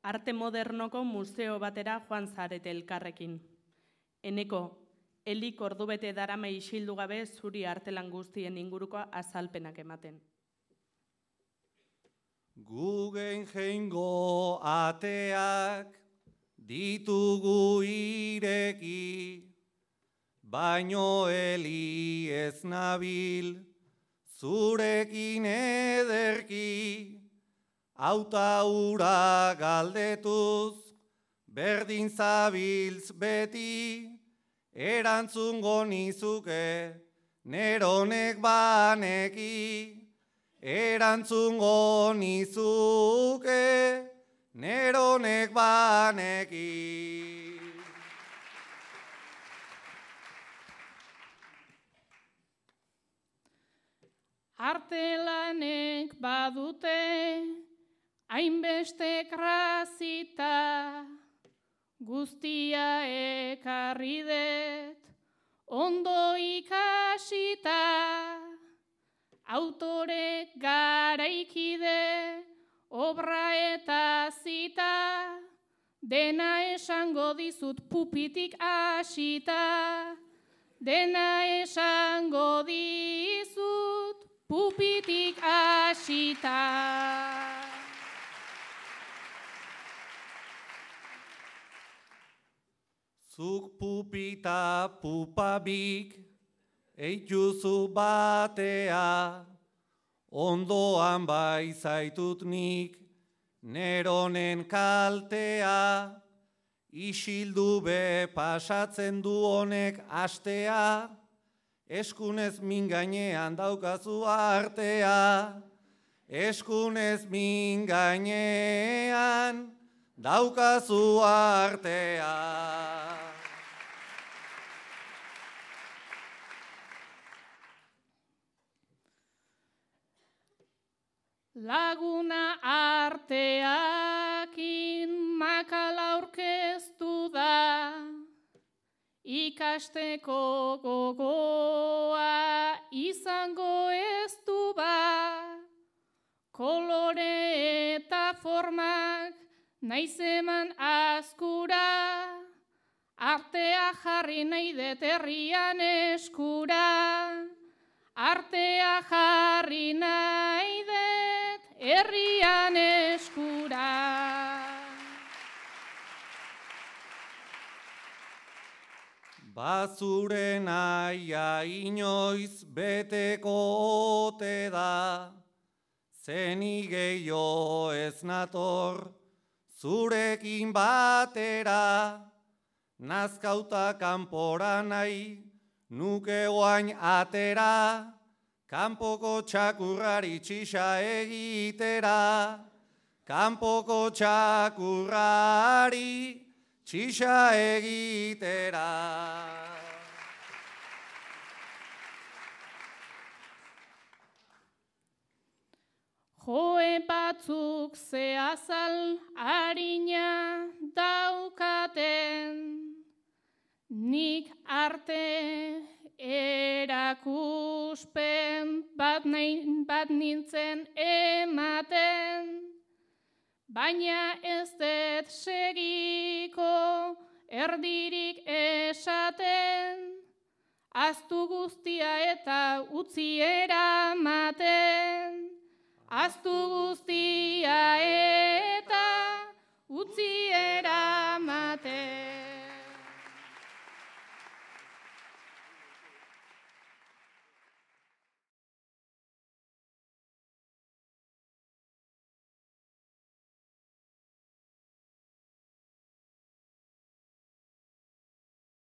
arte modernoko museo batera joan zarete elkarrekin. Eneko, Elik ordubete darama isildu gabe zuri artelan guztien inguruko azalpenak ematen. Gugen jeingo ateak ditugu ireki, baino Eli ez nabil zurekin ederki, auta ura galdetuz berdin zabiltz beti, erantzungo nizuke neronek baneki, erantzungo nizuke neronek baneki. Artelanek badute hainbeste krazita, guztia ekarri dut, ondo ikasita, autore garaikide, obra eta zita, dena esango dizut pupitik hasita, dena esango dizut pupitik hasita. Zuk pupita pupabik eituzu batea, ondoan bai zaitut nik neronen kaltea, isildu be pasatzen du honek astea, eskunez min gainean daukazu artea, eskunez min gainean daukazu artea. Laguna arteakin makala aurkeztu da, ikasteko gogoa izango ez du ba, kolore eta formak naiz eman askura, artea jarri nahi dut herrian eskura, artea jarri nahi dut herrian eskura. Bazure naia inoiz beteko ote da, zeni gehiago ez nator zurekin batera, nazkauta kanpora nahi nuke oain atera, kanpoko txakurrari txisa egitera, kanpoko txakurrari txisa egitera. Joe batzuk zeazal harina daukaten, nik arte erakuspen bat nintzen ematen, baina ez dut segiko erdirik esaten, ahaztu guztia eta utzi eramaten, ahaztu guztia